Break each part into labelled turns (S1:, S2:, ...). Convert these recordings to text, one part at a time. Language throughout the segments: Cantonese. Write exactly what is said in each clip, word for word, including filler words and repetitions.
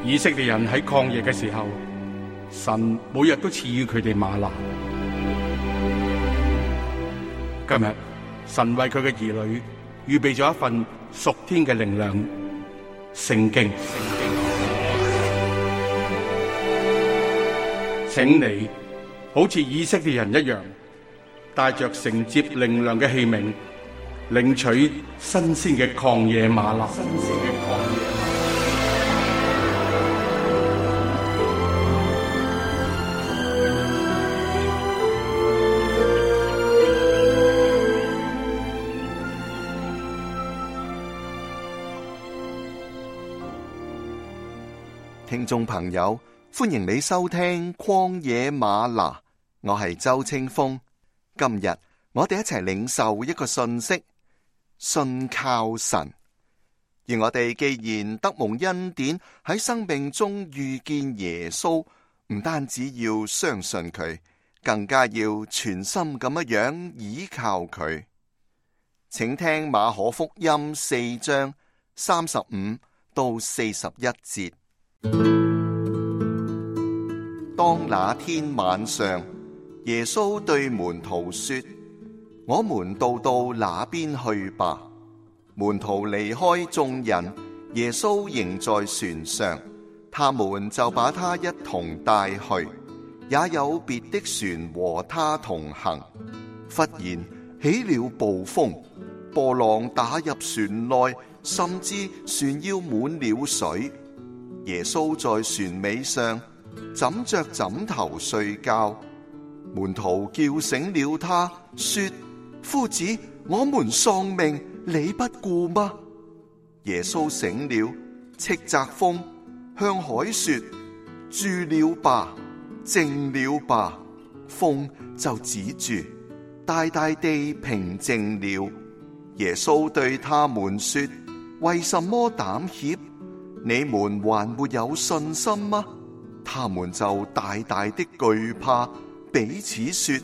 S1: 以色列人喺曠野嘅時候，神每日都賜予佢哋嗎哪。今日神為佢嘅兒女預備咗一份屬天嘅靈糧——聖經。請你好似以色列人一樣，帶着承接靈糧嘅器皿，領取新鮮嘅曠野嗎哪。新鮮嘅曠野嗎哪。
S2: 聽眾朋友，歡迎你收聽曠野嗎哪，我係周清風。今日我哋一齊領受一個信息：信靠神。而我哋既然得蒙恩典，喺生命中遇見耶穌，唔單止要相信佢，更加要全心咁樣樣倚靠佢。請聽馬可福音四章三十五到四十一節。當那天晚上，耶穌對門徒說：我們渡到那邊去吧。門徒離開眾人，耶穌仍在船上，他們就把他一同帶去，也有別的船和他同行。忽然起了暴風，波浪打入船內，甚至船要滿了水。耶穌在船尾上枕着枕頭睡覺，門徒叫醒了他，說：夫子，我們喪命，你不顧嗎？耶穌醒了，斥責風，向海說：住了吧，靜了吧。風就止住，大大地平靜了。耶穌對他們說：為什麼膽怯？你們還沒有信心嗎？他們就大大的懼怕，彼此說：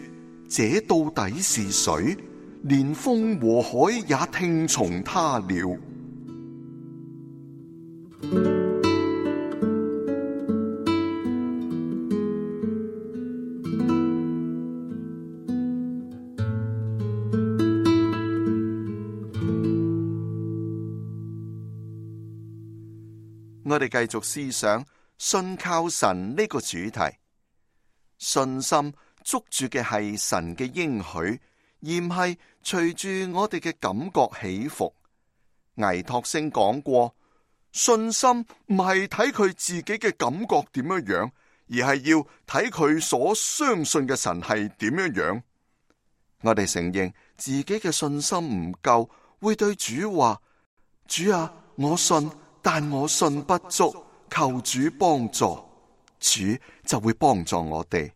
S2: 這到底是誰？連風和海也聽從他了。我哋繼續思想信靠神呢個主題。信心捉住嘅係神嘅應許，而唔係隨住我哋嘅感覺起伏。倪柝聲講過，信心唔係睇佢自己嘅感覺點樣樣，而係要睇佢所相信嘅神係點樣樣。我哋承認自己嘅信心唔夠，會對主話：主啊，我信，但我信不足，求主幫助。主就會幫助我哋。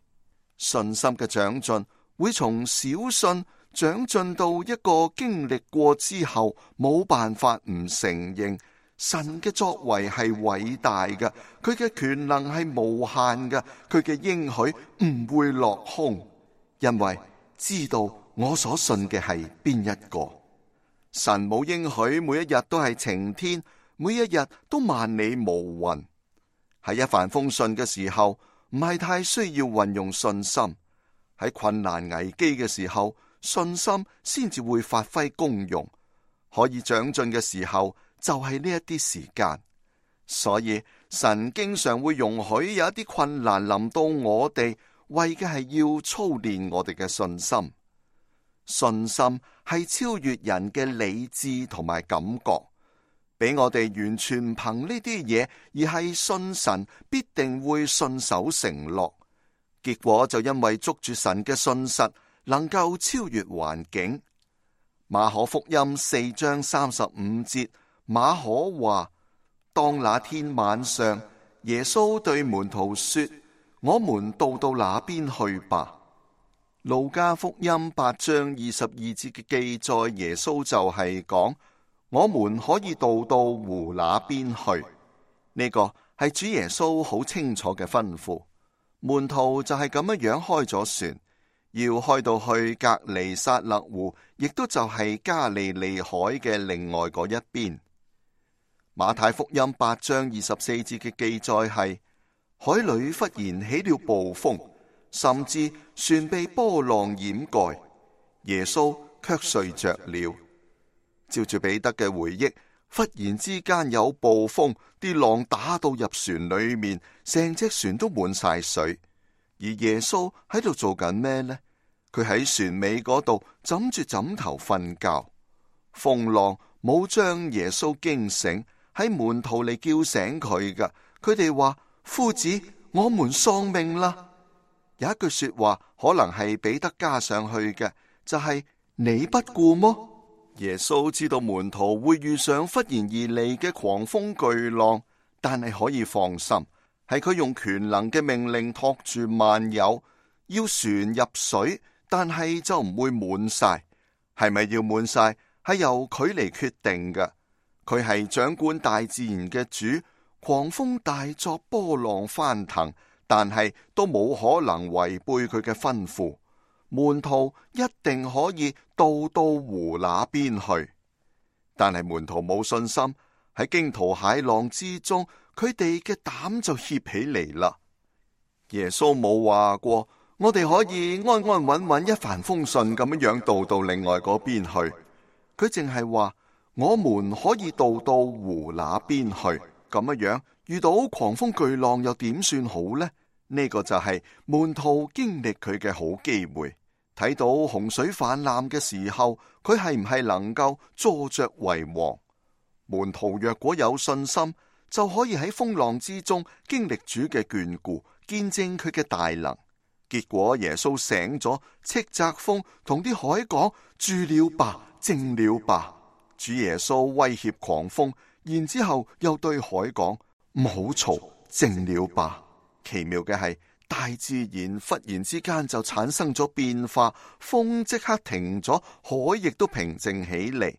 S2: 信心嘅長進會從小信長進到一個經歷過之後冇辦法唔承認神嘅作為係偉大嘅，佢嘅權能係無限嘅，佢嘅應許唔會落空，因為知道我所信嘅係邊一個。神冇應許每一日都係晴天，每一日都萬里無雲。喺一帆風順嘅時候，唔係太需要運用信心；喺困難危機嘅時候，信心先至會發揮功用。可以長進嘅時候，就係呢一啲時間。所以神經常會容許有一啲困難臨到我哋，為嘅係要操練我哋嘅信心。信心係超越人嘅理智同埋感覺，俾我哋完全憑呢啲嘢，而係信神必定會信守承諾。結果就因為捉住神嘅信實，能夠超越環境。馬可福音四章三十五節，馬可話：當那天晚上，耶穌對門徒說：我們渡到那邊去吧。路加福音八章二十二節嘅記載，耶穌就係講：我們可以渡到湖那邊去。呢個係主耶穌好清楚嘅吩咐。門徒就係咁樣樣開咗船，要開到去革尼撒勒湖，亦都就係加利利海嘅另外嗰一邊。馬太福音八章二十四節嘅記載係：海裏忽然起了暴風，甚至船被波浪掩蓋，耶穌卻睡着了。照住彼得嘅回憶，忽然之間有暴風，啲浪打到入船裏面，成隻船都滿晒水。而耶穌喺度做緊咩呢？佢喺船尾嗰度枕住枕頭瞓覺，風浪冇將耶穌驚醒，喺門徒嚟叫醒佢噶。佢哋話：夫子，我們喪命啦！有一句說話可能係彼得加上去嘅，就係、是、你不顧麼？耶穌知道門徒會遇上忽然而嚟嘅狂風巨浪，但係可以放心，係佢用權能嘅命令托住萬有，要船入水，但係就唔會滿晒。係咪要滿晒？係由佢嚟決定嘅。佢係掌管大自然嘅主，狂風大作，波浪翻騰，但係都冇可能違背佢嘅吩咐。門徒一定可以渡到湖那邊去，但係門徒冇信心，喺驚濤駭浪之中，佢哋嘅膽就怯起嚟啦。耶穌冇話過，我哋可以安安穩穩一帆風順咁樣樣渡到另外嗰邊去。佢淨係話，我們可以渡到湖那邊去。咁樣樣遇到狂風巨浪又點算好呢？呢個就係門徒經歷佢嘅好機會，睇到洪水泛濫嘅時候，佢係唔係能夠坐着為王？門徒若果有信心，就可以喺風浪之中經歷主嘅眷顧，見證佢嘅大能。結果耶穌醒咗，斥責風，同啲海講：住了吧，靜了吧。主耶穌威脅狂風，然之後又對海講：唔好嘈，靜了吧。奇妙嘅係，大自然忽然之間就產生咗變化，風即刻停咗，海亦都平靜起嚟。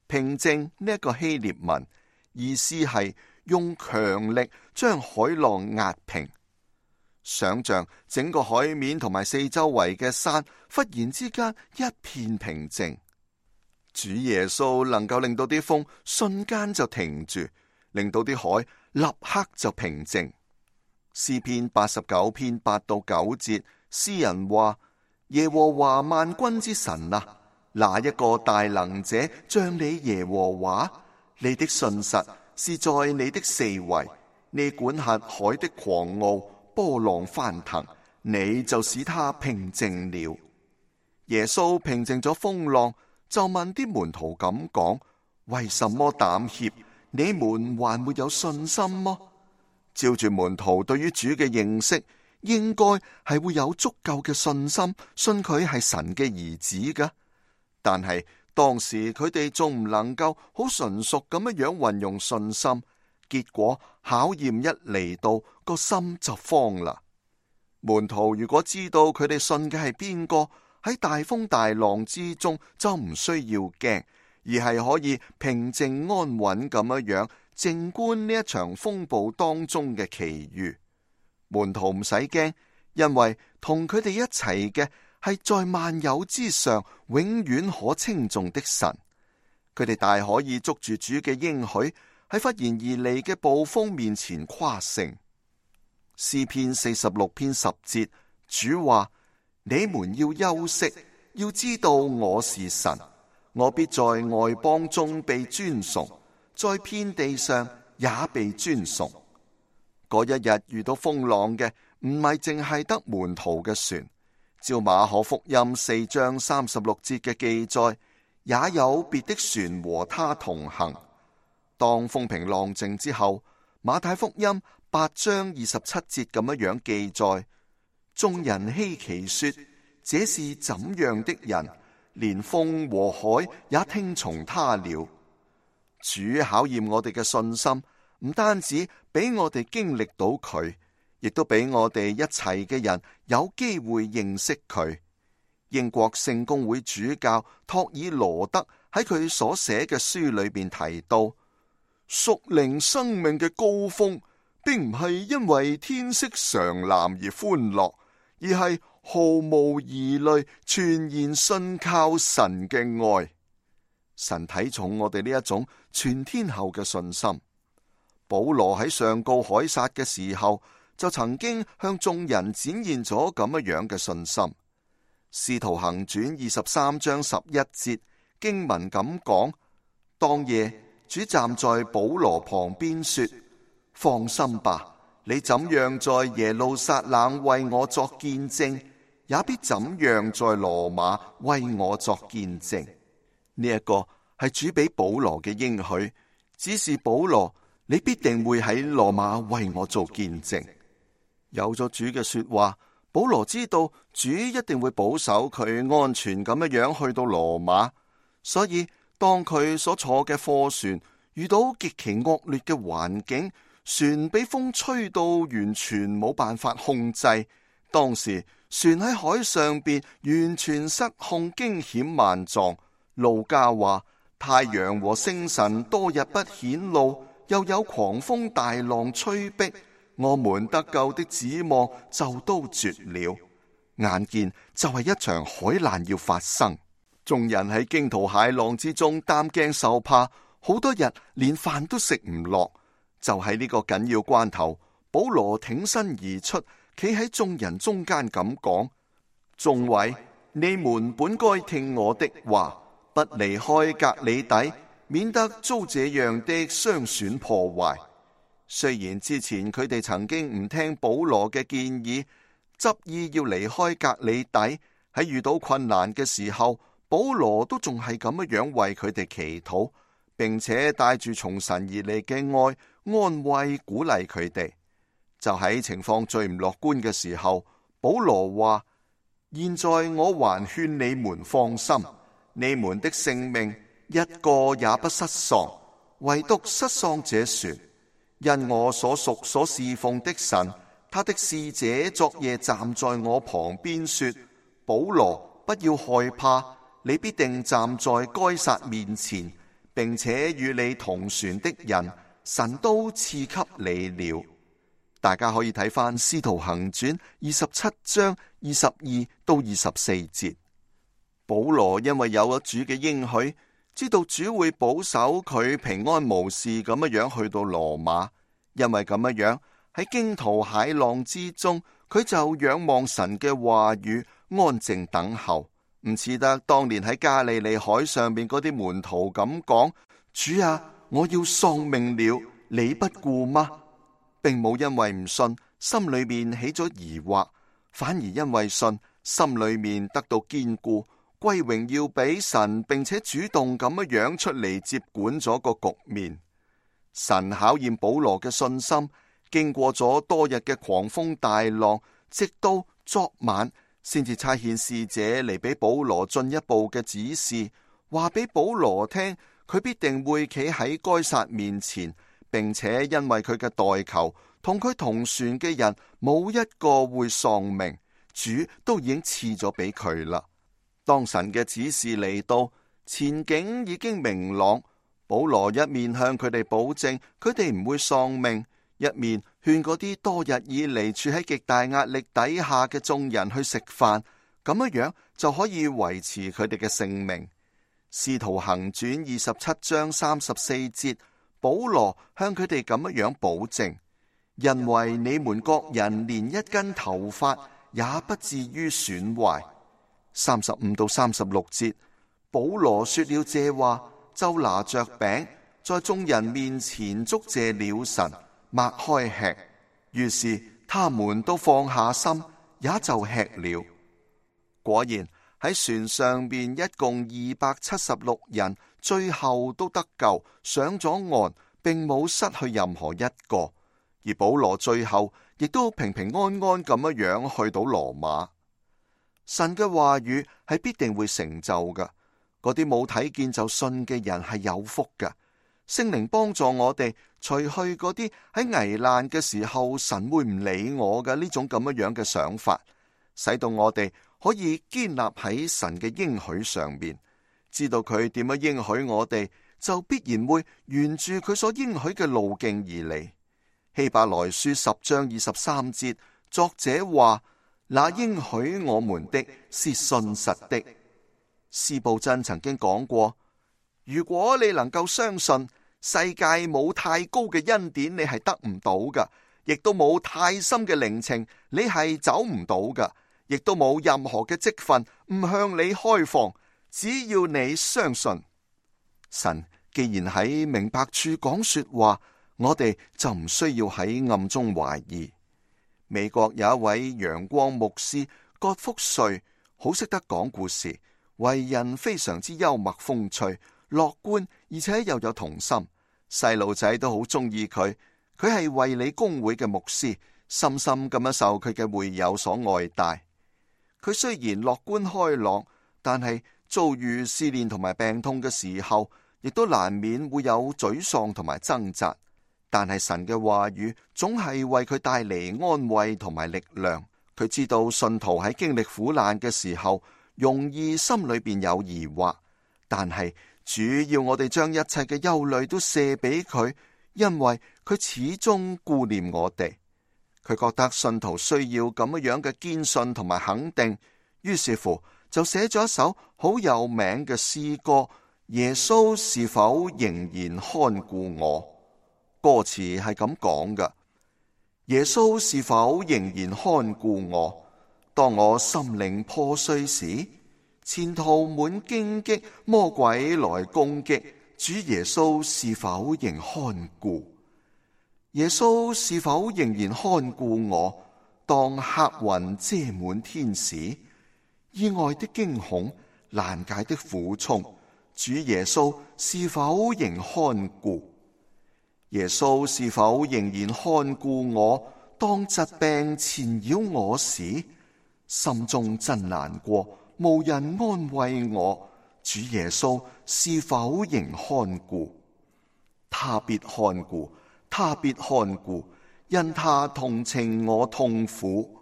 S2: 平靜呢一個希臘文意思係用強力將海浪壓平。想象整個海面同埋四周圍嘅山忽然之間一片平靜，主耶穌能夠令到啲風瞬間就停住，令到啲海立刻就平靜。詩篇八十九篇八到九節，詩人話：耶和華萬軍之神啊，哪一個大能者像你耶和華？你的信實是在你的四圍，你管轄海的狂傲，波浪翻騰，你就使他平靜了。耶穌平靜咗風浪，就問啲門徒咁講：為什麼膽怯？你們還沒有信心麼？照住門徒對於主嘅認識，應該係會有足夠嘅信心，信佢係神嘅兒子㗎。但係當時佢哋仲唔能夠好純熟咁樣樣運用信心，結果考驗一嚟到，個心就慌啦。門徒如果知道佢哋信嘅係邊個，喺大風大浪之中就唔需要驚，而係可以平靜安穩咁樣樣靜觀呢一場風暴當中嘅奇遇。門徒唔使驚，因為同佢哋一齊嘅係在萬有之上永遠可稱頌的神。佢哋大可以捉住主嘅應許，喺忽然而嚟嘅暴風面前誇勝。詩篇四十六篇十節，主話：你們要休息，要知道我是神，我必在外邦中被尊崇，在遍地上也被尊崇。嗰一日遇到風浪嘅唔係淨係得門徒嘅船，照馬可福音四章三十六節嘅記載，也有別的船和他同行。當風平浪靜之後，馬太福音八章二十七節咁樣樣記載，眾人稀奇說：這是怎樣的人？連風和海也聽從他了。主考驗我哋嘅信心，唔單止俾我哋經歷到佢，亦都俾我哋一齊嘅人有機會認識佢。英國聖公會主教托爾羅德喺佢所寫嘅書裏邊提到，屬靈生命嘅高峰，並唔係因為天色常藍而歡樂，而係毫無疑慮全然信靠神嘅愛。神睇重我哋呢一種全天候嘅信心。保羅喺上告凱撒嘅時候，就曾經向眾人展現咗咁樣樣嘅信心。使徒行傳二十三章十一節經文咁講：當夜主站在保羅旁邊說，放心吧，你怎樣在耶路撒冷為我作見證，也必怎樣在羅馬為我作見證。呢一個係主俾保羅嘅應許，只是保羅，你必定會喺羅馬為我做見證。有咗主嘅說話，保羅知道主一定會保守佢安全咁樣樣去到羅馬，所以當佢所坐嘅貨船遇到極其惡劣嘅環境，船俾風吹到完全冇辦法控制，當時船喺海上邊完全失控，驚險萬狀。路加話，太陽和星辰多日不顯露，又有狂風大浪吹逼，我們得救的指望就都絕了。眼見就係一場海難要發生，眾人喺驚濤駭浪之中擔驚受怕，好多日連飯都食唔落。就喺呢個緊要關頭，保羅挺身而出，企喺眾人中間咁講：眾位，你們本該聽我的話，不離開革哩底，免得遭這樣的傷損破壞。雖然之前佢哋曾經唔聽保羅嘅建議，執意要離開革哩底，喺遇到困難嘅時候，保羅都仲係咁樣為佢哋祈禱，並且帶住從神而嚟嘅愛安慰鼓勵佢哋。就喺情況最唔樂觀嘅時候，保羅話：現在我還勸你們放心，你們的性命一個也不失喪，唯獨失喪這船。因我所屬所侍奉的神，他的使者昨夜站在我旁邊說：保羅，不要害怕，你必定站在該撒面前，並且與你同船的人，神都賜給你了。大家可以睇翻《使徒行傳》二十七章二十二到二十四節。保羅因為有咗主嘅應許，知道主會保守佢平安無事咁樣去到羅馬，因為咁樣喺驚濤駭浪之中，佢就仰望神嘅話語，安靜等候，唔似得當年喺加利利海上面嗰啲門徒咁講：主啊，我要喪命了，你不顧嗎？並冇因為唔信，心裏面起咗疑惑，反而因為信，心裏面得到堅固，歸榮耀俾神，並且主動咁樣出嚟接管咗個局面。神考驗保羅嘅信心，經過咗多日嘅狂風大浪，直到昨晚先至差遣使者嚟俾保羅進一步嘅指示，話俾保羅聽，佢必定會企喺該撒面前，並且因為佢嘅代求，同佢同船嘅人冇一個會喪命，主都已經賜咗俾佢啦。當神嘅指示嚟到，前景已經明朗，保羅一面向佢哋保證佢哋唔會喪命，一面勸嗰啲多日以嚟處喺極大壓力底下嘅眾人去食飯，咁樣樣就可以維持佢哋嘅性命。使徒行傳二十七章三十四節，保羅向佢哋咁樣保證：因為你們各人連一根頭髮也不至於損壞。三十五到三十六節，保羅說了這話，就拿着餅，在眾人面前祝謝了神，擘開吃。於是他們都放下心，也就吃了。果然喺船上面一共二百七十六人，最後都得救，上咗岸，並冇失去任何一個。而保羅最後亦都平平安安咁樣去到羅馬。神嘅話語係必定會成就㗎，嗰啲冇睇見就信嘅人係有福㗎。聖靈幫助我哋除去嗰啲喺危難嘅時候神會唔理我嘅呢種咁樣樣嘅想法，使到我哋可以堅立喺神嘅應許上面，知道佢點樣應許我哋，就必然會沿住佢所應許嘅路徑而嚟。希伯來書十章二十三節，作者話：那應許我們的是信實的。司布真曾經講過：如果你能夠相信世界冇太高嘅恩典，你係得唔到噶，亦都冇太深嘅靈情，你係走唔到噶，亦都冇任何嘅職分唔向你開放。只要你相信神，既然喺明白處講說話，我哋就唔需要喺暗中懷疑。美國有一位陽光牧師葛福瑞，好識得講故事，為人非常之幽默風趣、樂觀，而且又有童心，細路仔都好中意佢。佢係衛理公會嘅牧師，深深咁樣受佢嘅會友所愛戴。佢雖然樂觀開朗，但係遭遇試煉同埋病痛嘅時候，亦都難免會有沮喪同埋掙扎。但係神嘅話語總係為佢帶嚟安慰同埋力量。佢知道信徒喺經歷苦難嘅時候，容易心裏邊有疑惑，但係主要我哋將一切嘅憂慮都卸俾佢，因為佢始終顧念我哋。佢覺得信徒需要咁樣嘅堅信同埋肯定，於是乎就寫咗一首好有名嘅詩歌：耶穌是否仍然看顧我？歌詞係咁講㗎：耶穌是否仍然看顧我？當我心靈破碎時，前途滿荊棘，魔鬼來攻擊，主耶穌是否仍看顧？耶穌是否仍然看顧我？當黑雲遮滿天時，意外的驚恐，難解的苦衷，主耶穌是否仍看顧？耶穌是否仍然看顧我？當疾病纏繞我時，心中真難過，無人安慰我。主耶穌是否仍看顧？他必看顧，他必看顧，因他同情我痛苦。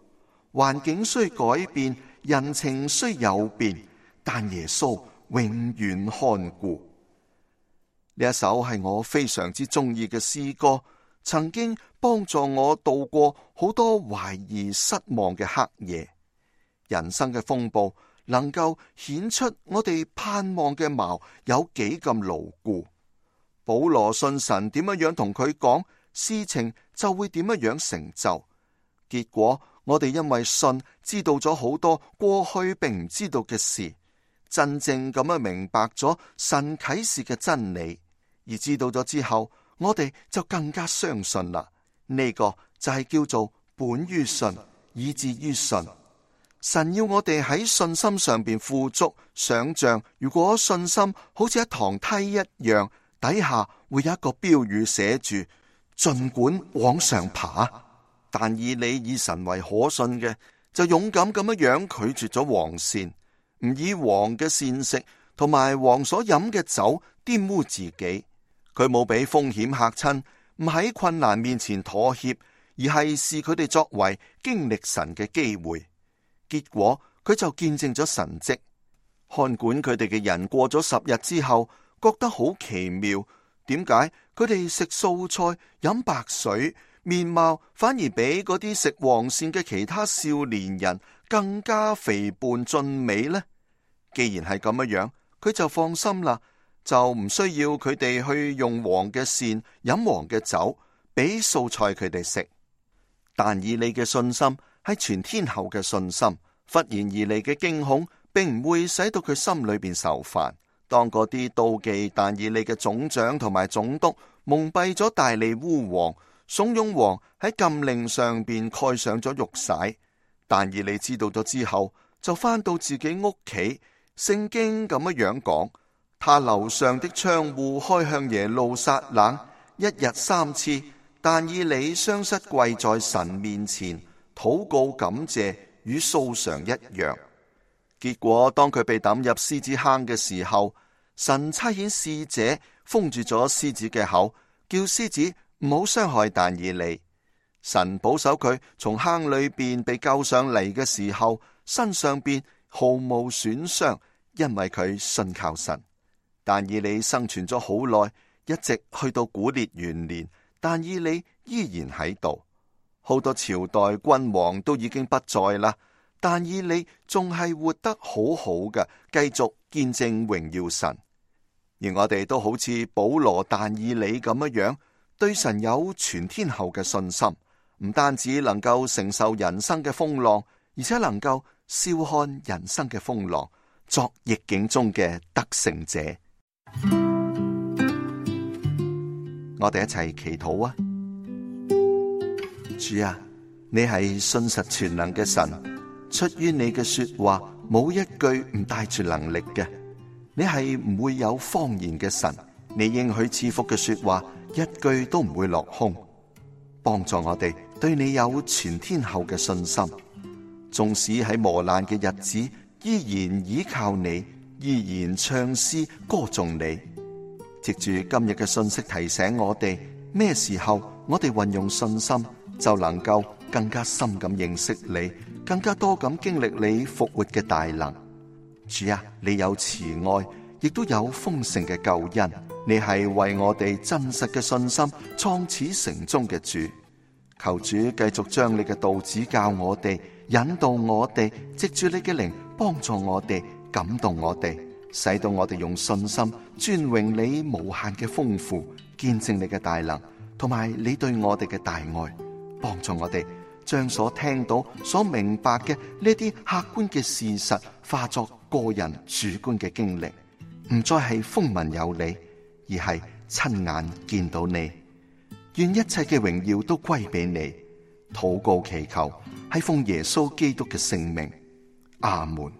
S2: 環境雖改變，人情雖有變，但耶穌永遠看顧。呢一首係我非常之中意嘅詩歌，曾經幫助我度過好多懷疑失望嘅黑夜。人生嘅風暴能夠顯出我哋盼望嘅錨有幾咁牢固。保羅信神點樣樣同佢講，事情就會點樣樣成就。結果我哋因為信知道咗好多過去並唔知道嘅事，真正咁樣明白咗神啟示嘅真理。而知道咗之後，我哋就更加相信啦。呢個就係叫做本於信，以至於信。神要我哋喺信心上邊富足。想象如果信心好似一堂梯一樣，底下會有一個標語寫住：盡管往上爬。但以你以神為可信嘅，就勇敢咁樣樣拒絕咗王膳，唔以王嘅膳食同埋王所飲嘅酒玷污自己。佢冇俾風險嚇親，唔喺困難面前妥協，而係視佢哋作為經歷神嘅機會。結果佢就見證咗神蹟。看管佢哋嘅人過咗十日之後，覺得好奇妙，點解佢哋食素菜、飲白水，面貌反而比嗰啲食黃鱔嘅其他少年人更加肥胖俊美呢？既然係咁樣，佢就放心啦。就唔需要佢哋去用黃嘅鱔飲黃嘅酒，俾素菜佢哋食。但以理嘅信心係全天候嘅信心，忽然而嚟嘅驚恐並唔會使到佢心裏邊受煩。當嗰啲妒忌但以理嘅總長同埋總督蒙蔽咗大利烏王，慫恿王喺禁令上邊蓋上咗玉璽。但以理知道咗之後，就返到自己屋企。聖經咁樣講。他樓上的窗戶開向耶路撒冷，一日三次。但以理雙膝跪在神面前，禱告感謝，與素常一樣。結果當佢被抌入獅子坑嘅時候，神差遣使者封住咗獅子嘅口，叫獅子唔好傷害但以理。神保守佢從坑裏邊被救上嚟嘅時候，身上邊毫無損傷，因為佢信靠神。但以理生存咗好耐，一直去到古列元年，但以理依然喺度。好多朝代君王都已經不在啦，但以理仲係活得好好嘅，繼續見證榮耀神。而我哋都好似保羅但以理咁樣樣，對神有全天候嘅信心，唔單止能夠承受人生嘅風浪，而且能夠笑看人生嘅風浪，作逆境中嘅得勝者。我哋一齊祈禱啊！主啊，你係信實全能嘅神，出於你嘅說話冇一句唔帶住能力嘅。你係唔會有謊言嘅神，你應許賜福嘅說話一句都唔會落空。幫助我哋對你有全天候嘅信心，縱使喺磨難嘅日子，依然依靠你，依然唱詩歌頌你。藉住今日嘅信息提醒我哋，咩時候我哋運用信心，就能夠更加深咁認識你，更加多咁經歷你復活嘅大能。主啊，你有慈愛，亦都有豐盛嘅救恩。你係為我哋真實嘅信心創始成終嘅主。求主繼續將你嘅道指教我哋，引導我哋，藉住你嘅靈幫助我哋，感動我哋，使到我哋用信心尊榮你無限嘅豐富，見證你嘅大能，同埋你對我哋嘅大愛。幫助我哋將所聽到、所明白嘅呢啲客觀嘅事實化作個人主觀嘅經歷，唔再係風聞有你，而係親眼見到你。願一切嘅榮耀都歸俾你。禱告祈求係奉耶穌基督嘅聖名，阿門。